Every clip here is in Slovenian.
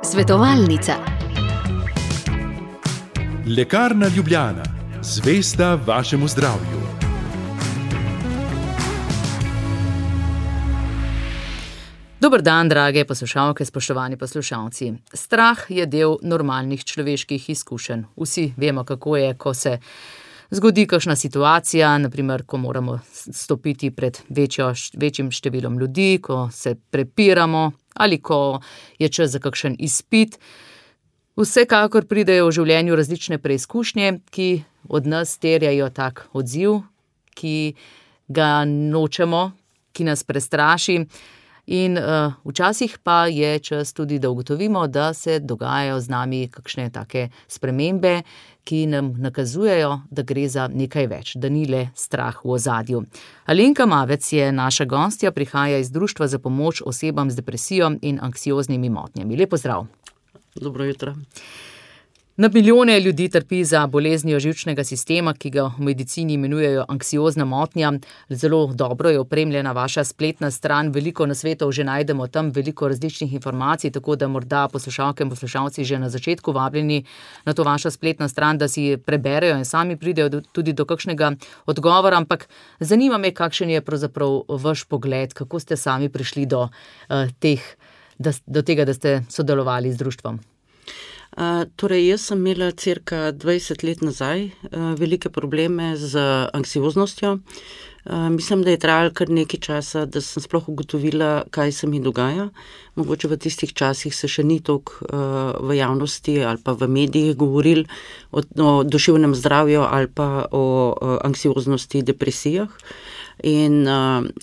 Svetovalnica. Lekarna Ljubljana, zvesta vašemu zdravju. Dober dan, drage poslušalke, spoštovani poslušalci. Strah je del normalnih človeških izkušenj. Vsi vemo, kako je, ko se zgodi kakšna situacija, naprimer, ko moramo stopiti pred večjim številom ljudi, ko se prepiramo ali ko je čas za kakšen izpit. Vsekakor pridejo v življenju različne preizkušnje, ki od nas terjajo tak odziv, ki ga nočemo, ki nas prestraši. In včasih pa je čas tudi, da ugotovimo, da se dogajajo z nami kakšne take spremembe, ki nam nakazujejo, da gre za nekaj več, da ni le strah v ozadju. Alenka Mavec je naša gostja, prihaja iz Društva za pomoč osebam z depresijo in anksioznimi motnjami. Lep pozdrav. Dobro jutro. Na milijone ljudi trpi za boleznijo živčnega sistema, ki ga v medicini imenujejo anksiozna motnja. Zelo dobro je opremljena vaša spletna stran, veliko nasvetov že najdemo tam, veliko različnih informacij, tako da morda poslušalke in poslušalci že na začetku vabljeni na to vašo spletno stran, da si preberejo in sami pridejo tudi do kakšnega odgovora, ampak zanima me, kakšen je pravzaprav vaš pogled, kako ste sami prišli do tega, da ste sodelovali z društvom. Torej, jaz sem imela cirka 20 let nazaj velike probleme z anksioznostjo. Mislim, da je trajalo kar nekaj časa, da sem sploh ugotovila, kaj se mi dogaja. Mogoče v tistih časih se še ni toliko v javnosti ali pa v medijih govorili o duševnem zdravju ali pa o anksioznosti, depresijah. In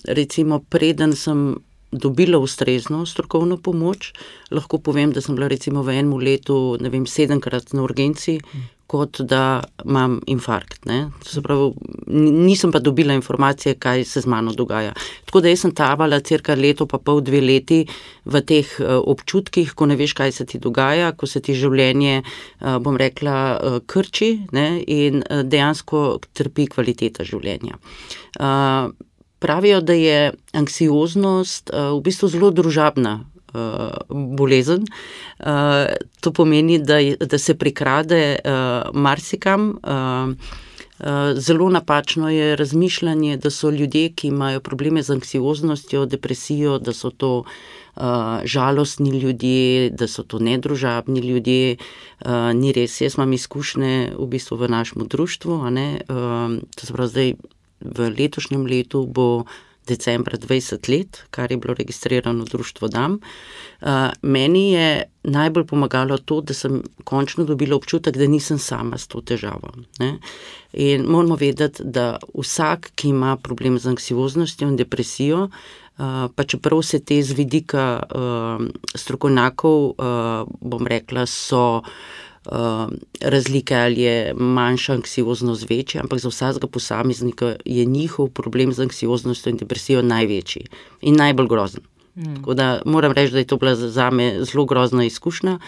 recimo preden sem dobila ustrezno strokovno pomoč, lahko povem, da sem bila recimo v enem letu, 7-krat na urgenci, kot da imam infarkt. Se pravi, nisem pa dobila informacije, kaj se z mano dogaja. Tako da jaz sem tavala cirka leto pa pol, 2 leti v teh občutkih, ko ne veš, kaj se ti dogaja, ko se ti življenje, bom rekla, krči, in dejansko trpi kvaliteta življenja. Pravijo, da je anksioznost v bistvu zelo družabna bolezen. To pomeni, da se prikrade marsikam. Zelo napačno je razmišljanje, da so ljudje, ki imajo probleme z anksioznostjo, depresijo, da so to žalostni ljudje, da so to nedružabni ljudje. Ni res. Jaz imam izkušnje v bistvu v našem društvu, to se pravi zdaj, v letošnjem letu bo decembra 20 let, kar je bilo registrirano društvo DAM. Meni je najbolj pomagalo to, da sem končno dobila občutek, da nisem sama s to težavo. In moramo vedeti, da vsak, ki ima problem z anksioznostjo in depresijo, pa čeprav se te z vidika strokovnjakov, bom rekla, so razlike, ali je manjša anksioznost večja, ampak za vsakega posameznika je njihov problem z anksioznostjo in depresijo največji in najbolj grozen. Tako da moram reči, da je to bila zame zelo grozna izkušnja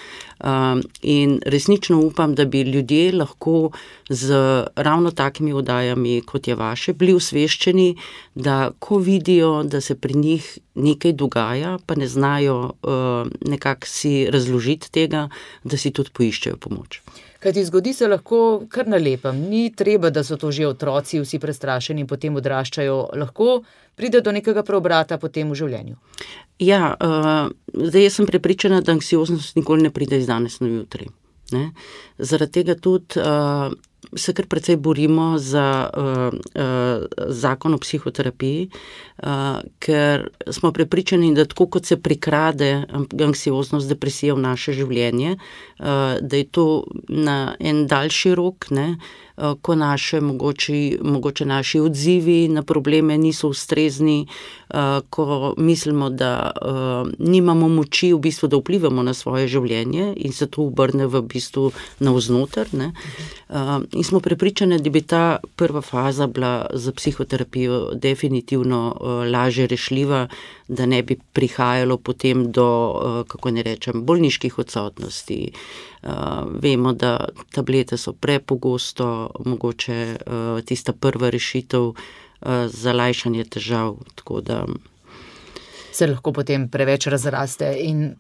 in resnično upam, da bi ljudje lahko z ravno takimi oddajami, kot je vaše, bili osveščeni, da ko vidijo, da se pri njih nekaj dogaja, pa ne znajo nekako si razložiti tega, da si tudi poiščejo pomoč. Kajti zgodi se lahko kar na lepem. Ni treba, da so to že otroci vsi prestrašeni in potem odraščajo. Lahko pride do nekega preobrata potem v življenju. Ja, zdaj jaz sem prepričana, da anksioznost nikoli ne pride iz danes na jutri. Zaradi tega tudi se kar precej borimo za zakon o psihoterapiji, ker smo prepričani, da tako kot se prikrade anksioznost, depresija v naše življenje, da je to na en daljši rok, ko mogoče naši odzivi na probleme niso ustrezni, ko mislimo, da nimamo moči v bistvu, da vplivamo na svoje življenje in se to obrne v bistvu navznoter. In smo prepričani, da bi ta prva faza bila za psihoterapijo definitivno lažje rešljiva, da ne bi prihajalo potem do, kako ne rečem, bolniških odsotnosti. Vemo, da tablete so prepogosto mogoče tista prva rešitev za lajšanje težav, tako da... se lahko potem preveč razraste in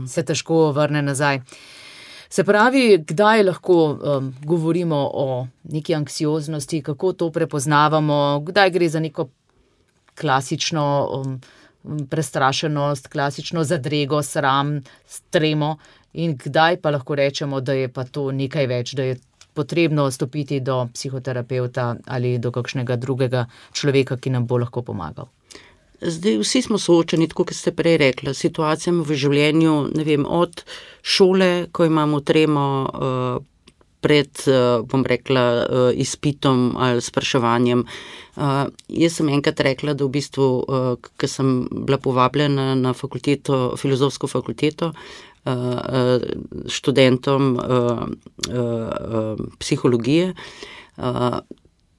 se težko vrne nazaj. Se pravi, kdaj lahko govorimo o neki anksioznosti, kako to prepoznavamo, kdaj gre za neko klasično prestrašenost, klasično zadrego, sram, tremo in kdaj pa lahko rečemo, da je pa to nekaj več, da je potrebno stopiti do psihoterapevta ali do kakšnega drugega človeka, ki nam bo lahko pomagal. Zdaj, vsi smo soočeni, tako kot ste prej rekla, situacijami v življenju, ne vem, od šole, ko imamo tremo pred, bom rekla, izpitom ali spraševanjem. Jaz sem enkrat rekla, da v bistvu, ko sem bila povabljena na fakulteto, filozofsko fakulteto, študentom psihologije,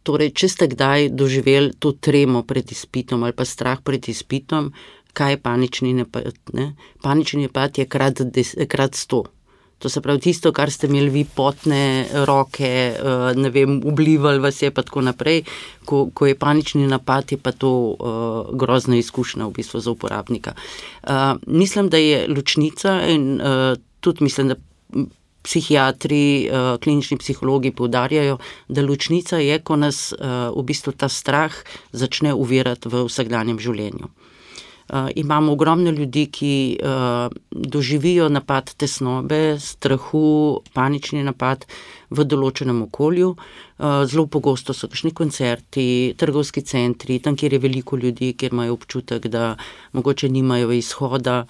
torej, če ste kdaj doživeli to tremo pred izpitom ali pa strah pred izpitom, kaj je panični napad? Ne? Panični napad je krat 100. To se pravi tisto, kar ste imeli vi potne roke, ne vem, oblivali vas je pa tako naprej. Ko je panični napad, je pa to grozna izkušnja v bistvu za uporabnika. Mislim, da je ločnica in tudi mislim, da psihiatri, klinični psihologi poudarjajo, da ločnica je, ko nas v bistvu ta strah začne uvirati v vsakdanjem življenju. Imamo ogromno ljudi, ki doživijo napad tesnobe, strahu, panični napad v določenem okolju. Zelo pogosto so kakšni koncerti, trgovski centri, tam, kjer je veliko ljudi, kjer imajo občutek, da mogoče nimajo izhoda.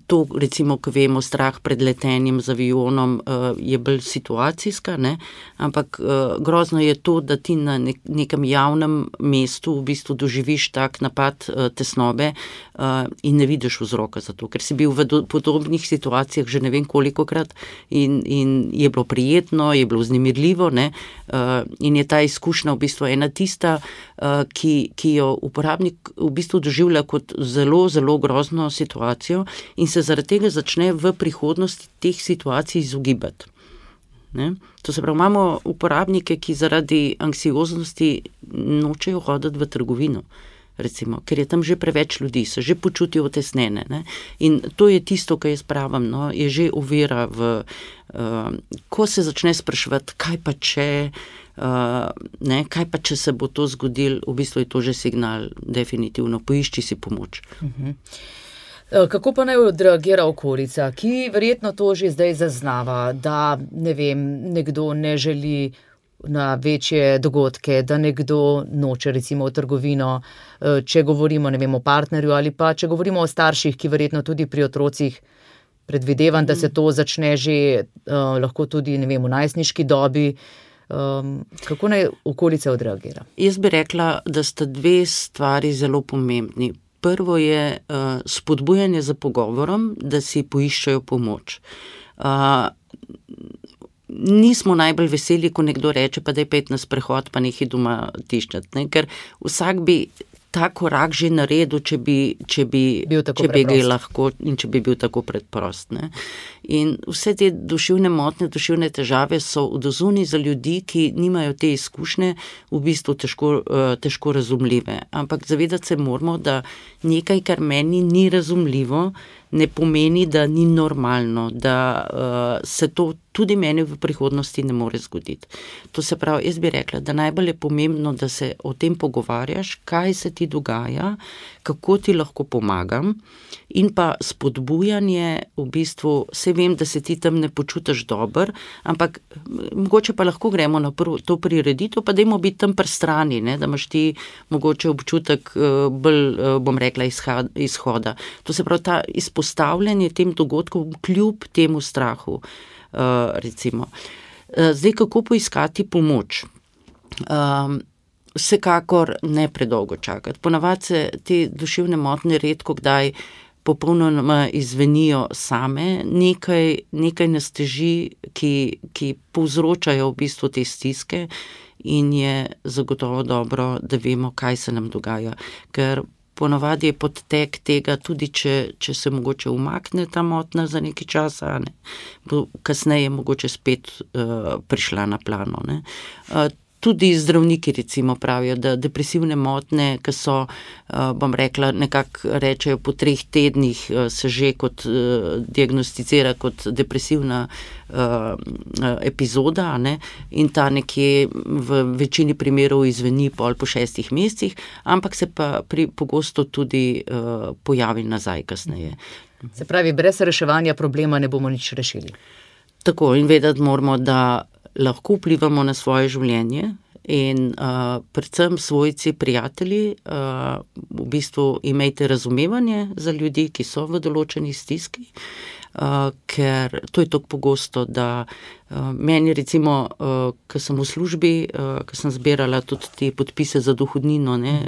To, recimo, ko vemo, strah pred letenjem z avionom je bolj situacijska, ne? Ampak grozno je to, da ti na nekem javnem mestu v bistvu doživiš tak napad tesnobe in ne vidiš vzroka za to, ker si bil v podobnih situacijah že ne vem kolikokrat in je bilo prijetno, je bilo vznemirljivo, ne? In je ta izkušnja v bistvu ena tista, ki jo uporabnik v bistvu doživlja kot zelo, zelo grozno situacijo in se zaradi tega začne v prihodnosti teh situacij izogibati. Ne? To se pravi, imamo uporabnike, ki zaradi anksioznosti nočejo hoditi v trgovino, recimo, ker je tam že preveč ljudi, se že počutijo otesnjene. Ne? In to je tisto, kar jaz pravim, no, je že ovira ko se začne spraševati, kaj pa če, kaj pa če se bo to zgodilo, v bistvu je to že signal, definitivno, poišči si pomoč. Kako pa naj odreagira okolica, ki verjetno to že zdaj zaznava, da, ne vem, nekdo ne želi na večje dogodke, da nekdo noče recimo v trgovino, če govorimo, ne vem, o partnerju ali pa če govorimo o starših, ki verjetno tudi pri otrocih, predvidevam, da se to začne že lahko tudi, ne vem, v najstniški dobi. Kako naj okolica odreagira? Jaz bi rekla, da sta dve stvari zelo pomembni. Prvo je spodbujanje za pogovorom, da si poiščejo pomoč. Nismo najbolj veseli, ko nekdo reče, pa daj pojdi na sprehod, pa nehaj doma tiščati, ne? Ker vsak bi ta korak že naredil, če bi ga lahko in če bi bil tako preprost. Ne? In vse te duševne motnje, duševne težave so odzunaj za ljudi, ki nimajo te izkušnje, v bistvu težko razumljive. Ampak zavedati se moramo, da nekaj, kar meni ni razumljivo, ne pomeni, da ni normalno, da se to tudi meni v prihodnosti ne more zgoditi. To se pravi, jaz bi rekla, da najbolj je pomembno, da se o tem pogovarjaš, kaj se ti dogaja, kako ti lahko pomagam in pa spodbujanje, v bistvu, se vem, da se ti tam ne počutiš dobro, ampak mogoče pa lahko gremo na to prireditev, pa dajmo biti tam pri strani, ne, da imaš ti mogoče občutek bolj, bom rekla, izhoda. To se pravi, ta izpostavljanje tem dogodkom kljub temu strahu, recimo. Zdaj, kako poiskati pomoč? Vsekakor ne predolgo čakati. Ponavadi se te duševne motnje redko kdaj popolnoma izvenijo same, nekaj nas teži, ki povzročajo v bistvu te stiske in je zagotovo dobro, da vemo, kaj se nam dogaja. Ker ponavadi je podtek tega, tudi če se mogoče umakne ta motnja za nekaj časa, ne, bo kasneje mogoče spet prišla na plano. Ne. Tudi zdravniki recimo pravijo, da depresivne motnje, ki so, bom rekla, nekako rečejo po 3 tednih se že kot diagnosticira kot depresivna epizoda, ne, in ta nekje v večini primerov izveni pol po 6 mesecih, ampak se pa pogosto tudi pojavi nazaj kasneje. Se pravi, brez reševanja problema ne bomo nič rešili. Tako, in vedeti moramo, da lahko vplivamo na svoje življenje in predvsem svojci, prijatelji, v bistvu imejte razumevanje za ljudi, ki so v določeni stiski, ker to je tako pogosto, da meni recimo, ko sem v službi, ko sem zbirala tudi te podpise za dohodnino, ne,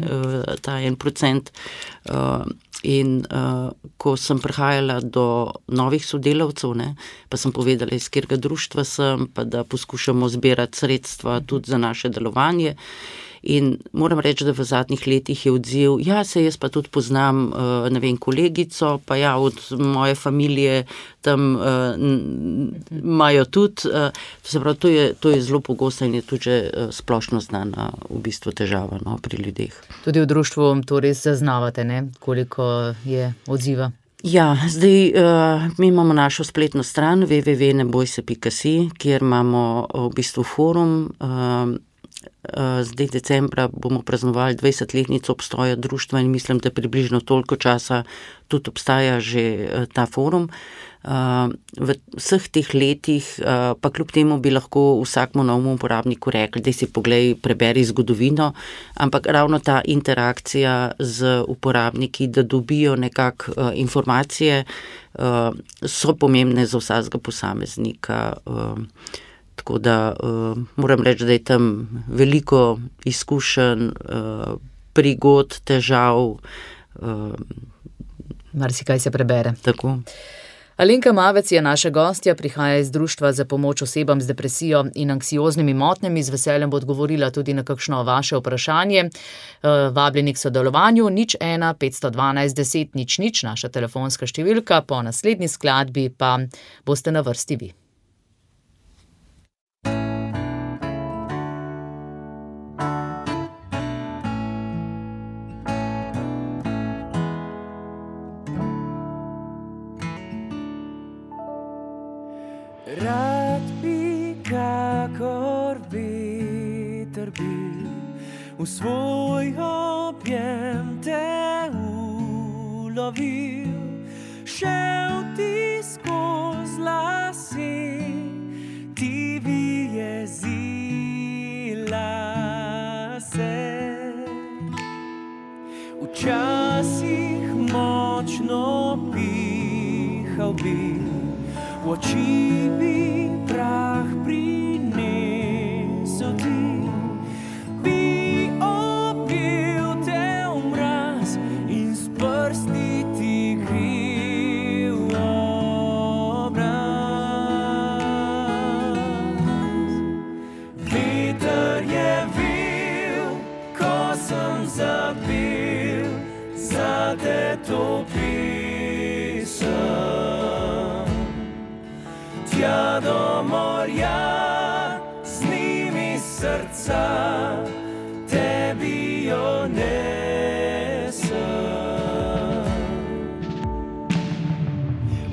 ta 1%, in ko sem prihajala do novih sodelavcev, ne, pa sem povedala, iz katerega društva sem, pa da poskušamo zbirati sredstva tudi za naše delovanje. In moram reči, da v zadnjih letih je odziv, ja, se jaz pa tudi poznam, ne vem, kolegico, pa ja, od moje familije tam imajo tudi, se pravi, to je zelo pogosto in je tudi že splošno znana v bistvu težava, no, pri ljudeh. Tudi v društvu to res zaznavate, ne, koliko je odziva? Ja, zdaj mi imamo našo spletno stran www.nebojse.si, kjer imamo v bistvu forum. Zdaj decembra bomo praznovali 20-letnico obstoja društva in mislim, da približno toliko časa tudi obstaja že ta forum. V vseh teh letih, pa kljub temu bi lahko vsakmu novemu uporabniku rekli, da si poglej, preberi zgodovino, ampak ravno ta interakcija z uporabniki, da dobijo nekako informacije, so pomembne za vsakega posameznika. Tako da moram reči, da je tam veliko izkušenj, prigod, težav. Marsikaj se prebere. Tako. Alenka Mavec je naša gostja, prihaja iz Društva za pomoč osebam z depresijo in anksioznimi motnjami. Z veseljem bo odgovorila tudi na kakšno vaše vprašanje. Vabljeni k sodelovanju 01 512 10 00, naša telefonska številka, po naslednji skladbi pa boste na vrsti vi. Rad bi kakor veter bil, v svoj objem te ulovil, šel ti skoz lase, ti vyjezila se. Včasih močno pihal bil, v oči bi prah prinesel ti, bi objel te v mraz in s prsti ti grel obraz. Veter je vel, ko sem zapel zate to pesem. Tja do morja, z njimi srca, tebi jo nesem.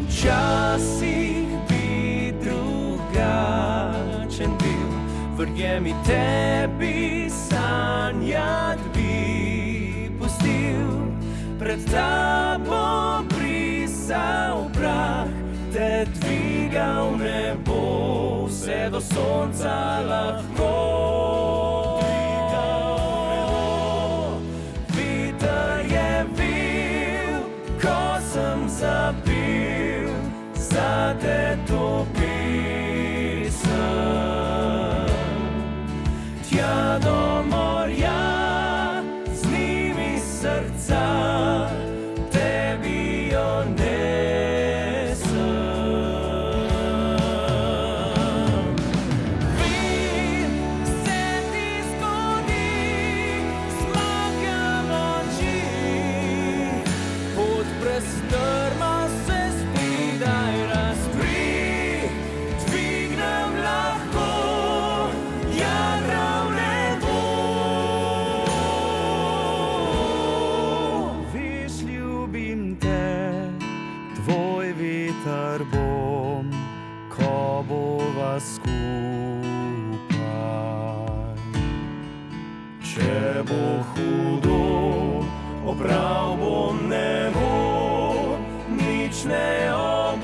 Včasih bi drugačen bil, verjemi, tebi sanjat bi pustil, pred tabo brisal prah, te dvigal nebo, vse do sonca lahko. Veter je vel, ko sem zapel zate to pesem. Tja do morja, z njimi srca, tebi jo strma se spredaj razkri, veter bom, ko bova skupaj. Če bo hudo, oprav bom nebo, nič ne obupaj.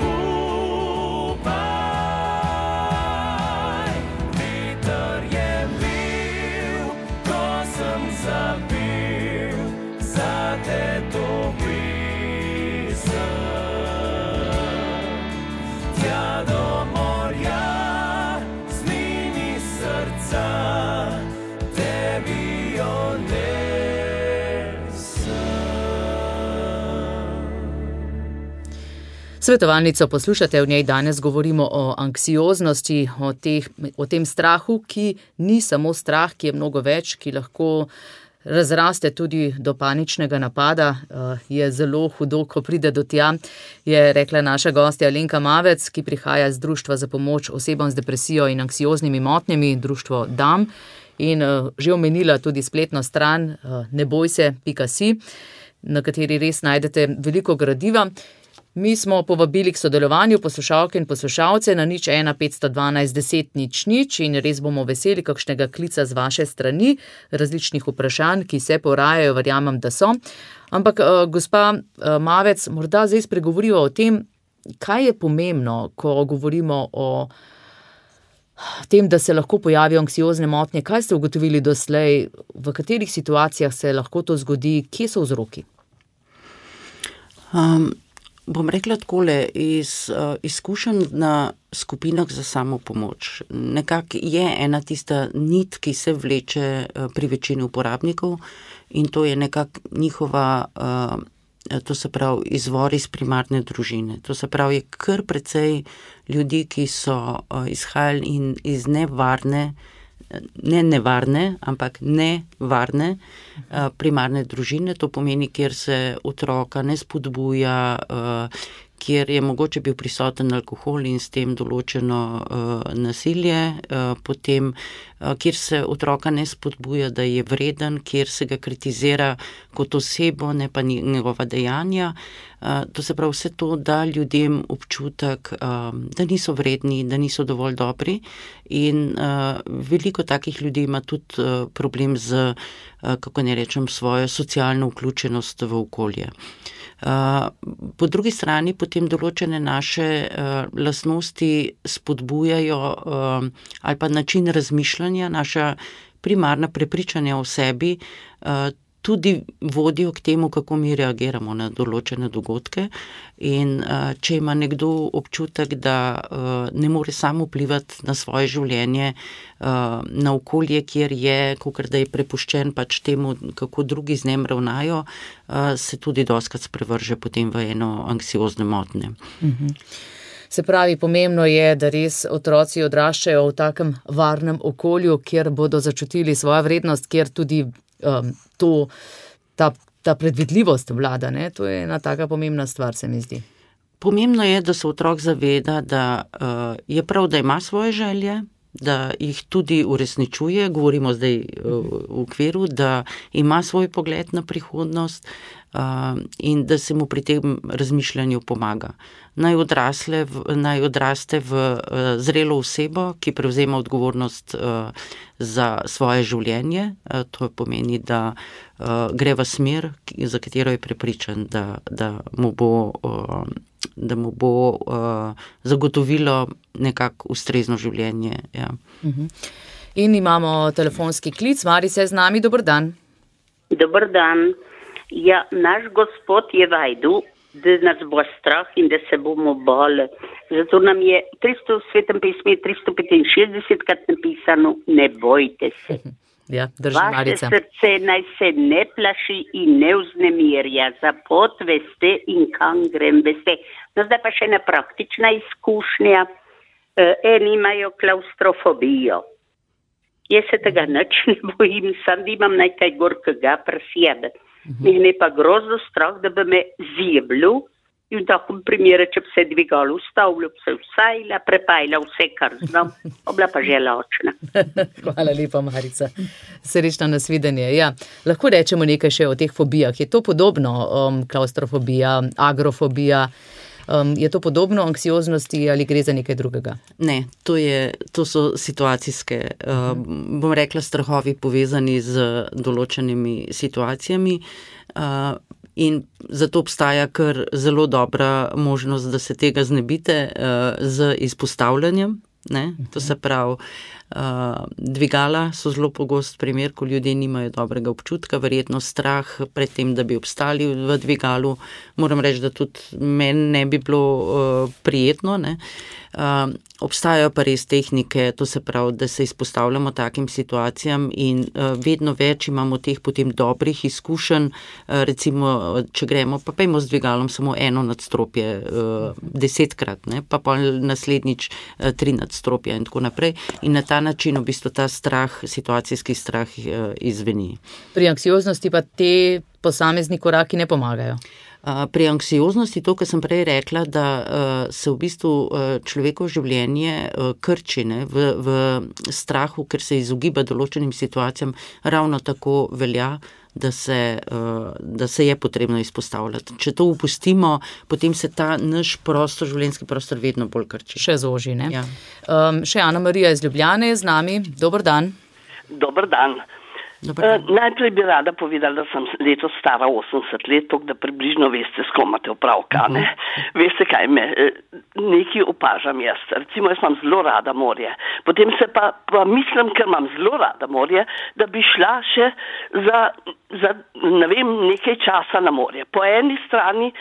Veter je bil, ko sem zabil, zate to pisem. Tja do morja, z njimi srca, tebi jo Svetovalnico poslušate, v njej danes govorimo o anksioznosti, o tem strahu, ki ni samo strah, ki je mnogo več, ki lahko razraste tudi do paničnega napada, je zelo hudo, ko pride do tja, je rekla naša gostja Alenka Mavec, ki prihaja z Društva za pomoč osebam z depresijo in anksioznimi motnjami, društvo DAM, in že omenila tudi spletno stran nebojse.si, na kateri res najdete veliko gradiva. Mi smo povabili k sodelovanju poslušalke in poslušalce na 01 512 10 00 in res bomo veseli kakšnega klica z vaše strani, različnih vprašanj, ki se porajajo, verjamem, da so. Ampak, gospa Mavec, morda zdaj spregovoriva o tem, kaj je pomembno, ko govorimo o tem, da se lahko pojavijo anksiozne motnje. Kaj ste ugotovili doslej, v katerih situacijah se lahko to zgodi, kje so vzroki? Bom rekla takole, iz izkušenj na skupinah za samopomoč. Nekako je ena tista nit, ki se vleče pri večini uporabnikov, in to je nekako njihova, to se pravi, izvor iz primarne družine. To se pravi, je kar precej ljudi, ki so izhajali iz nevarne primarne družine, to pomeni, kjer se otroka ne spodbuja, kjer je mogoče bil prisoten alkohol in s tem določeno nasilje, potem, kjer se otroka ne spodbuja, da je vreden, kjer se ga kritizira kot osebo, ne pa njegova dejanja. To se pravi, vse to da ljudem občutek, da niso vredni, da niso dovolj dobri, in veliko takih ljudi ima tudi problem z, kako ne rečem, svojo socialno vključenost v okolje. Po drugi strani potem določene naše lastnosti spodbujajo ali pa način razmišljanja, naša primarna prepričanja o sebi tudi vodijo k temu, kako mi reagiramo na določene dogodke, in če ima nekdo občutek, da ne more sam vplivati na svoje življenje, na okolje, kjer je, kakor da je prepuščen pač temu, kako drugi z njim ravnajo, se tudi dostikrat sprevrže potem v eno anksiozne motnje. Se pravi, pomembno je, da res otroci odraščajo v takem varnem okolju, kjer bodo začutili svojo vrednost, kjer tudi ta predvidljivost vlada, ne? To je ena taka pomembna stvar, se mi zdi. Pomembno je, da se otrok zaveda, da je prav, da ima svoje želje, da jih tudi uresničuje, govorimo zdaj v okviru, da ima svoj pogled na prihodnost, in da se mu pri tem razmišljanju pomaga. Naj odraste v zrelo osebo, ki prevzema odgovornost za svoje življenje. To pomeni, da gre v smer, za katero je prepričan, da mu bo zagotovilo nekako ustrezno življenje. Ja. In imamo telefonski klic. Marica je z nami, dober dan. Dober dan. Ja, naš Gospod je vajdu, da nas bo strah in da se bomo bali. Zato nam je v Svetem pismu 365 krat napisano, ne bojte se. Ja, drži, Marica. Vaše srce naj se ne plaši in ne vznemirja, za pot veste in kam grem veste. No, zdaj pa še ena praktična izkušnja. Eni imajo klaustrofobijo. Jaz se tega nič ne bojim, sam imam nekaj gorkega pri sebi. Mene pa grozno strah, da bi me zjeblil, in v takem primeru, če bi se dvigalo ustavljal, bi se vsajla, prepajla vse, kar znam, obla pa že lačna. Hvala lepa, Marica. Srečno nasvidenje. Ja, lahko rečemo nekaj še o teh fobijah. Je to podobno, klaustrofobija, agrofobija? Je to podobno anksioznosti ali gre za nekaj drugega? Ne, to so situacijske, bom rekla, strahovi povezani z določenimi situacijami. In zato obstaja kar zelo dobra možnost, da se tega znebite z izpostavljanjem. Ne? To se pravi, dvigala so zelo pogost primer, ko ljudje nimajo dobrega občutka, verjetno strah pred tem, da bi obstali v dvigalu. Moram reči, da tudi meni ne bi bilo prijetno. Ne? Obstajajo pa res tehnike, to se pravi, da se izpostavljamo takim situacijam in vedno več imamo teh potem dobrih izkušenj, recimo, če gremo, pa pejmo z dvigalom samo eno nadstropje 10-krat, ne? Pa naslednjič 3 nadstropja in tako naprej. In na ta način v bistvu ta strah, situacijski strah izveni. Pri anksioznosti pa te posamezni koraki ne pomagajo. Pri anksioznosti, to, kar sem prej rekla, da se v bistvu človekovo življenje krči v strahu, ker se izogiba določenim situacijam, ravno tako velja, da se je potrebno izpostavljati. Če to upustimo, potem se ta naš prostor, življenjski prostor vedno bolj krči. Še zoži, ne? Ja. Še Ana Marija iz Ljubljane je z nami. Dober dan. Dober dan. Najprej bi rada povedala, da sem letos stara 80 let, tako da približno veste, s kom imate opravka. Veste, kaj me nekaj opažam jaz. Recimo, jaz imam zelo rada morje. Potem se pa mislim, ker imam zelo rada morje, da bi šla še za ne vem, nekaj časa na morje. Po eni strani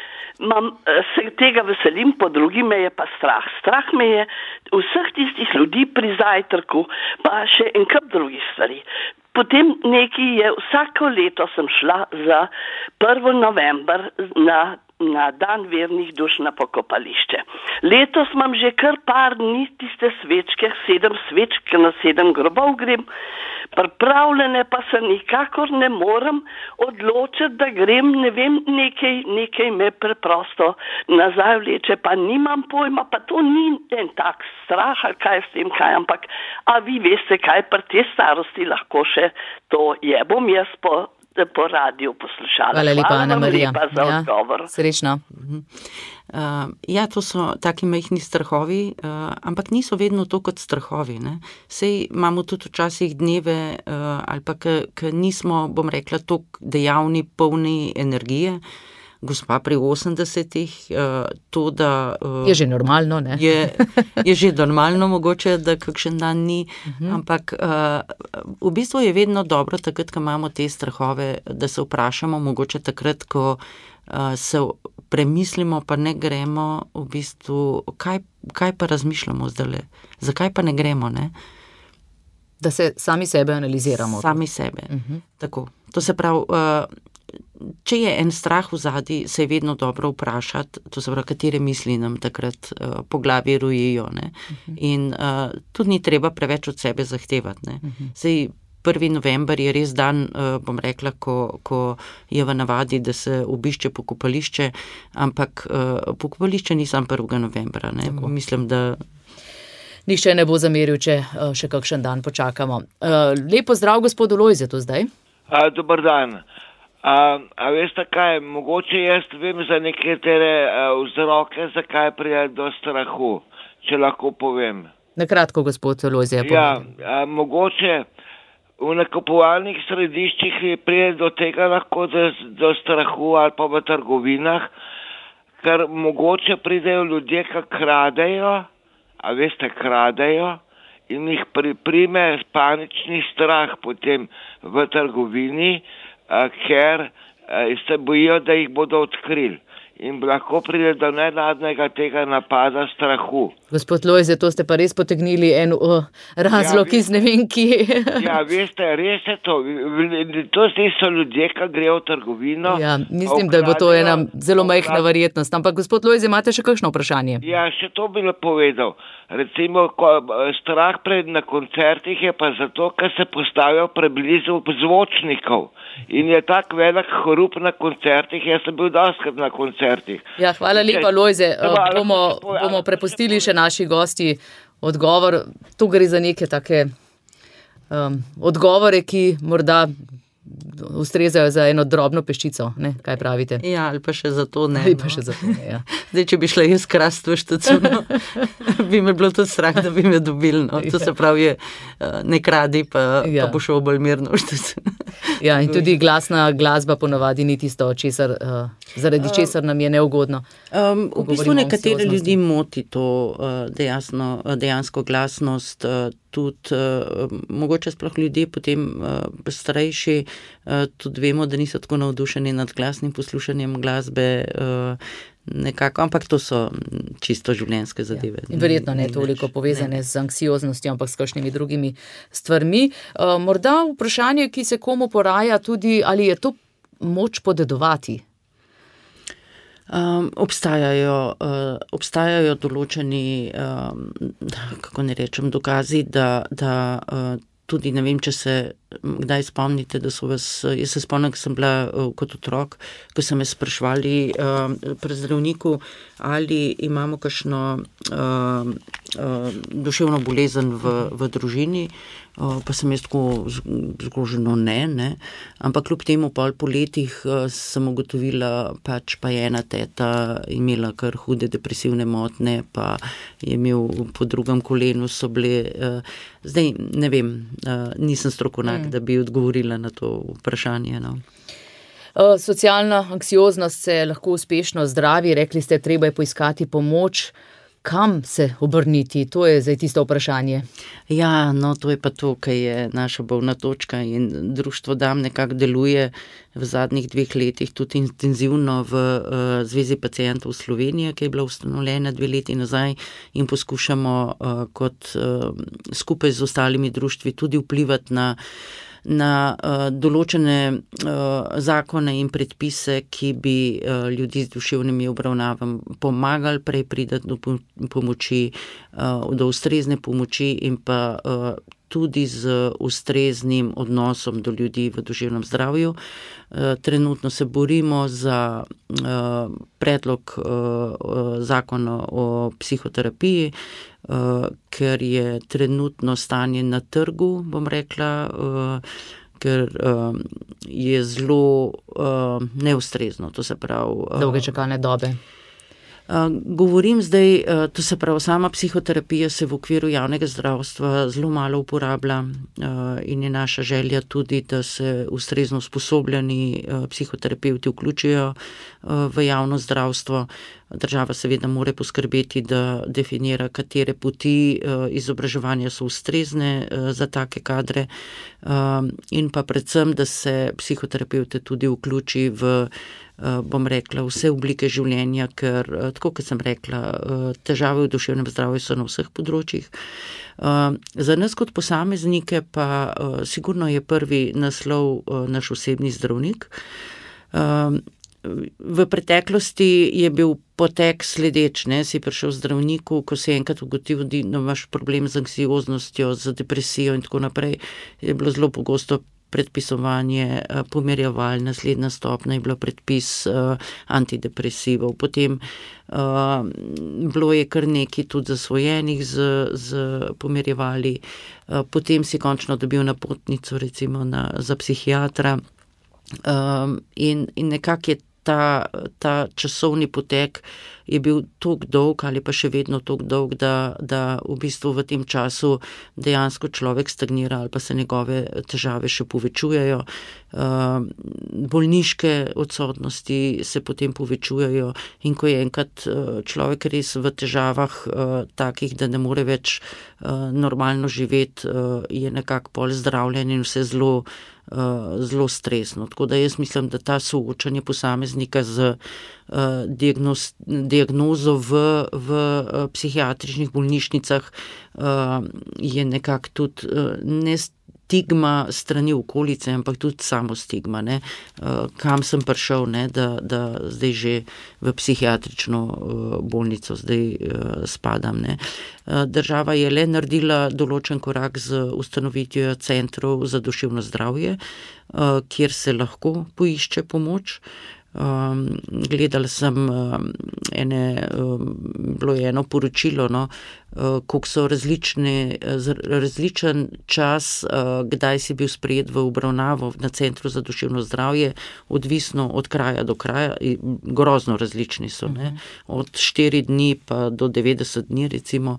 se tega veselim, po drugi me je pa strah. Strah me je vseh tistih ljudi pri zajtrku, pa še en kup drugih stvari. Potem nekaj je, vsako leto sem šla za 1. november na dan vernih duš na pokopališče. Letos imam že kar par dni tiste svečke, 7 svečk na 7 grobov grem, pripravljene pa se nikakor ne morem odločiti, da grem, ne vem, nekaj me preprosto nazaj vleče, pa nimam pojma, pa to ni en tak strah, ali kaj s tem, kaj, ampak, a vi veste, kaj pri te starosti lahko še to je, bom jaz po radiju poslušala. Hvala lepa, Ana Marija. Hvala lepa za odgovor. Srečno. Ja, to so taki majhni strahovi, ampak niso vedno to kot strahovi. Ne? Sej imamo tudi včasih dneve, ali pa ki nismo, bom rekla, toliko dejavni, polni energije. Gospa pri 80-ih, to, da... Je že normalno, ne? Je že normalno mogoče, da kakšen dan ni, ampak v bistvu je vedno dobro takrat, ko imamo te strahove, da se vprašamo, mogoče takrat, ko se premislimo, pa ne gremo, v bistvu, kaj pa razmišljamo zdajle? Zakaj pa ne gremo, ne? Da se sami sebe analiziramo. Sami sebe, tako. To se pravi... Če je en strah v zadnji, se je vedno dobro vprašati, to se pravi, katere misli nam takrat po glavi rojijo. Ne? In tudi ni treba preveč od sebe zahtevati. Ne? Sej 1. november je res dan, bom rekla, ko je v navadi, da se obišče pokopališče, ampak pokopališče ni samo 1. novembra. Ne? Mislim, da... Nihče ne bo zameril, če še kakšen dan počakamo. Lepo zdrav, gospodu Lojzetu zdaj. Dober dan. A veste kaj, mogoče jaz vem za nekatere vzroke, zakaj pride do strahu, če lahko povem. Na kratko, gospod Lojze. Ja, mogoče v nakupovalnih središčih pride do tega lahko do strahu ali pa v trgovinah, ker mogoče pridejo ljudje, ki kradejo, a veste, kradejo in jih prime panični strah potem v trgovini, ker se bojijo, da jih bodo odkrili. In lahko pride do nenadnega tega napada strahu. Gospod Lojze, to ste pa res potegnili en razlog iz ne vem kje. Ja, veste, res je to. To so ljudje, ki grejo v trgovino. Ja, mislim, da bo to ena zelo majhna verjetnost. Ampak gospod Lojze, imate še kakšno vprašanje? Ja, še to bi povedal. Recimo, strah na koncertih je pa zato, ker se postavijo preblizu zvočnikov. In je tak velik hrup na koncertih, jaz sem bil dostikrat na koncertih. Ja, hvala lepa, Lojze. Bomo prepustili še naši gosti odgovor. Tu gre za neke take odgovore, ki morda ustrezajo za eno drobno peščico, ne? Kaj pravite? Ja, ali pa še za to ne. Ali pa še za to ne, ja. Zdaj, če bi šla jaz krast v štacuno, bi me bilo tudi strah, da bi me dobili, no. To se pravi, ne kradi, pa bo šel bolj mirno v štacuno. Ja, in tudi glasba ponavadi ni tisto, zaradi česar nam je neugodno. V bistvu nekatere ljudi moti to dejansko glasnost, tudi mogoče sploh ljudje potem starejši, tudi vemo, da niso tako navdušeni nad glasnim poslušanjem glasbe, nekako, ampak to so čisto življenjske zadeve. Ja. Verjetno ne toliko povezane z anksioznostjo, ampak s kakšnimi drugimi stvarmi. Morda vprašanje, ki se komu poraja tudi, ali je to moč podedovati? Obstajajo določeni, kako ne rečem, dokazi, da tudi, ne vem, če se kdaj spomnite, da so vas, jaz se spomnim, ko sem bila kot otrok, ko so me sprašvali pri zdravniku, ali imamo kakšno duševno bolezen v družini, pa sem jaz tako zgroženo ne, ampak kljub temu po letih sem ugotovila, pač pa je ena teta imela kar hude depresivne motnje, pa je imel po drugem kolenu so bile, zdaj ne vem, nisem strokovnjak, da bi odgovorila na to vprašanje, no. Socialna anksioznost se lahko uspešno zdravi, rekli ste, treba je poiskati pomoč. Kam se obrniti? To je zdaj tisto vprašanje. Ja, no, to je pa to, kaj je naša bolna točka in društvo DAM nekako deluje v zadnjih 2 letih tudi intenzivno v Zvezi pacientov Slovenije, ki je bila ustanovljena 2 leti nazaj in poskušamo kot skupaj z ostalimi društvi tudi vplivati na določene zakone in predpise, ki bi ljudi z duševnimi obravnavami pomagali prej priti do pomoči, do ustrezne pomoči in pa tudi z ustreznim odnosom do ljudi v duševnem zdravju. Trenutno se borimo za predlog zakona o psihoterapiji, ker je trenutno stanje na trgu, bom rekla, ker je zelo neustrezno, to se pravi. Dolge čakalne dobe. Govorim zdaj, to se pravi, sama psihoterapija se v okviru javnega zdravstva zelo malo uporablja in je naša želja tudi, da se ustrezno usposobljeni psihoterapevti vključijo v javno zdravstvo. Država seveda mora poskrbeti, da definira, katere poti izobraževanja so ustrezne za take kadre in pa predvsem, da se psihoterapevte tudi vključi v, bom rekla, vse oblike življenja, ker, tako kot sem rekla, težave v duševnem zdravju so na vseh področjih. Za nas kot posameznike pa sigurno je prvi naslov naš osebni zdravnik. V preteklosti je bil potek sledeč, si prišel zdravniku, ko si enkrat ugotovil, da imaš problem z anksioznostjo, z depresijo in tako naprej, je bilo zelo pogosto predpisovanje pomirjeval, naslednja stopnja je bilo predpis antidepresivov, potem bilo je kar nekaj tudi zasvojenih z pomirjevali, potem si končno dobil napotnico recimo za psihiatra in nekako je ta časovni potek je bil toliko dolg ali pa še vedno toliko dolg, da v bistvu v tem času dejansko človek stagnira ali pa se njegove težave še povečujejo. Bolniške odsotnosti se potem povečujejo in ko je enkrat človek res v težavah takih, da ne more več normalno živeti, je nekako pol zdravljenje in vse zelo stresno. Tako da jaz mislim, da ta soočanje posameznika z diagnozo v psihiatričnih bolnišnicah je nekako tudi ne stigma strani okolice, ampak tudi samo stigma, kam sem prišel, da zdaj že v psihiatrično bolnico zdaj spadam. Država je le naredila določen korak z ustanovitvijo centrov za duševno zdravje, kjer se lahko poišče pomoč. Gledala sem ene bilo eno poročilo, no, koliko so različen čas, kdaj si bil sprejet v obravnavo na Centru za duševno zdravje, odvisno od kraja do kraja, grozno različni so, ne, od 4 dni pa do 90 dni recimo.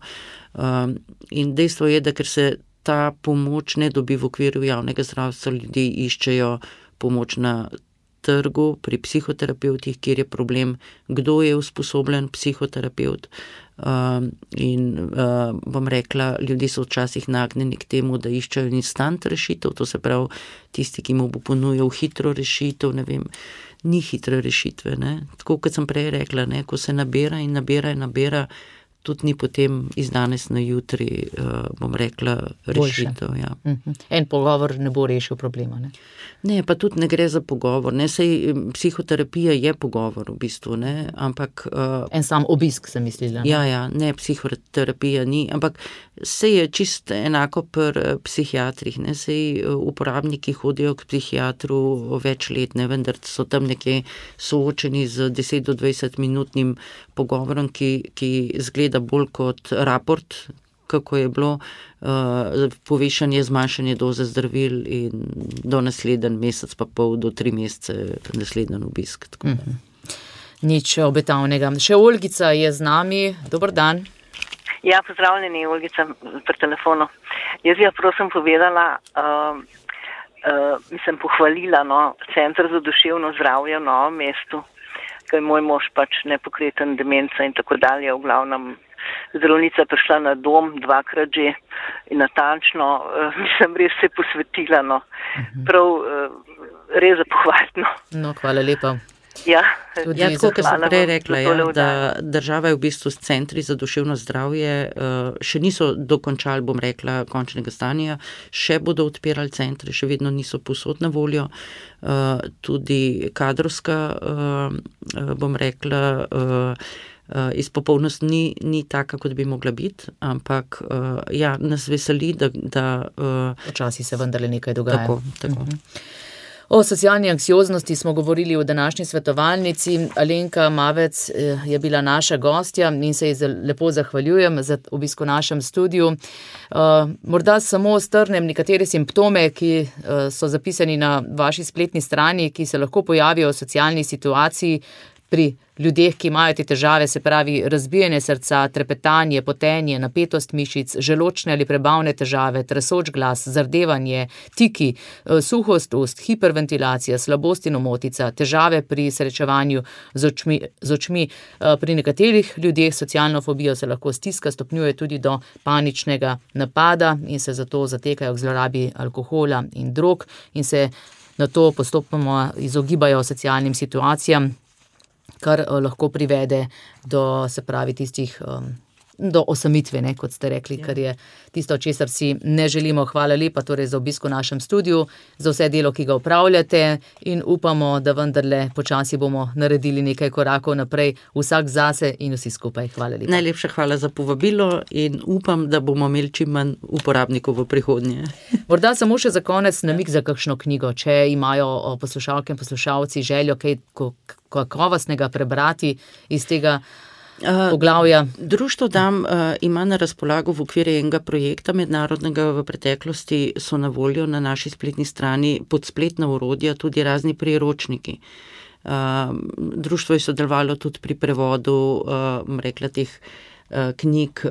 In dejstvo je, da ker se ta pomoč ne dobi v okviru javnega zdravstva, ljudje iščejo pomoč na trgu, pri psihoterapevtih, kjer je problem, kdo je usposobljen psihoterapevt. Bom rekla, ljudje so včasih nagnjeni k temu, da iščejo instant rešitev, to se pravi, tisti, ki mu bo ponujal hitro rešitev, ne vem, ni hitre rešitve, ne. Tako, kot sem prej rekla, ne, ko se nabira in nabira, tudi ni potem iz danes na jutri, bom rekla, rešitev. Ja. En pogovor ne bo rešil problema, ne? Ne, pa tudi ne gre za pogovor, ne, sej psihoterapija je pogovor v bistvu, ne, ampak... En sam obisk, sem mislila. Ja, ne, psihoterapija ni, ampak sej je čisto enako pri psihiatrih, ne, sej uporabniki hodijo k psihiatru več let, ne, vendar so tam nekje soočeni z 10 do 20 minutnim pogovorom, ki zgleda bolj kot raport, kako je bilo povešanje, zmanjšanje doze zdravil in do naslednji mesec pa pol do 3 mesece naslednji obisk. Nič obetavnega. Še Olgica je z nami. Dober dan. Ja, pozdravljeni, Olgica pri telefonu. Jaz bi prosim povedala, sem pohvalila, no, Center za duševno zdravje v Novem mestu, ker je moj mož pač nepokreten, demenca in tako dalje, v glavnem zdravnica prišla na dom 2-krat že in natančno, sem res se posvetila, no, prav res za pohvalno. No, hvala lepa. Ja, tako, kot sem prej rekla, da država je v bistvu s centri za duševno zdravje, še niso dokončali, bom rekla, končnega stanja, še bodo odpirali centre, še vedno niso povsod na voljo, tudi kadrovska, bom rekla, izpopolnost ni taka, kot bi mogla biti, ampak ja, nas veseli, da počasi se vendarle nekaj dogaja. Tako. O socialni anksioznosti smo govorili v današnji svetovalnici. Alenka Mavec je bila naša gostja in se ji lepo zahvaljujem za obisk v našem studiu. Morda samo strnem nekatere simptome, ki so zapisani na vaši spletni strani, ki se lahko pojavijo v socialni situaciji pri ljudeh, ki imajo te težave, se pravi razbijanje srca, trepetanje, potenje, napetost mišic, želodčne ali prebavne težave, tresoč glas, zardevanje, tiki, suhost ust, hiperventilacija, slabost in omotica, težave pri srečevanju z očmi. Pri nekaterih ljudeh socialno fobijo se lahko stiska stopnjuje tudi do paničnega napada in se zato zatekajo k zlorabi alkohola in drog in se nato postopoma izogibajo socialnim situacijam, kar lahko privede do, se pravi, tistih, do osamitve, ne, kot ste rekli, kar je tisto, česar si ne želimo. Hvala lepa torej za obisk v našem studiu, za vse delo, ki ga opravljate in upamo, da vendarle počasi bomo naredili nekaj korakov naprej, vsak zase in vsi skupaj. Hvala lepa. Najlepša hvala za povabilo in upam, da bomo imeli čim manj uporabnikov v prihodnje. Morda samo še za konec namig za kakšno knjigo, če imajo poslušalke in poslušalci željo kaj kakovostnega prebrati iz tega poglavja. Društvo DAM ima na razpolago v okviru enega projekta mednarodnega v preteklosti, so na voljo na naši spletni strani pod spletna orodja tudi razni priročniki. Društvo je sodelovalo tudi pri prevodu, rekla teh knjig,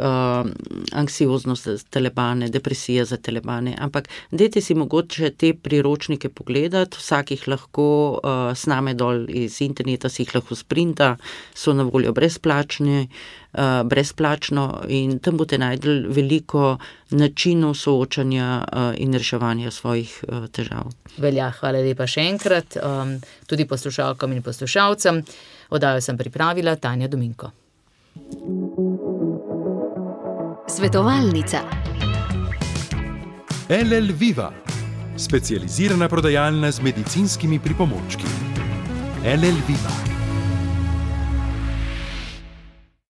anksioznost za telebane, depresija za telebane, ampak dajte si mogoče te priročnike pogledati, vsak jih lahko sname dol iz interneta, si jih lahko sprinta, so na voljo brezplačno in tam boste najdli veliko načinov soočanja in reševanja svojih težav. Velja, hvala lepa še enkrat, tudi poslušalkam in poslušalcem. Oddajo sem pripravila Tanja Dominko. Svetovalnica. LL Viva, specializirana prodajalna z medicinskimi pripomočki. LL Viva.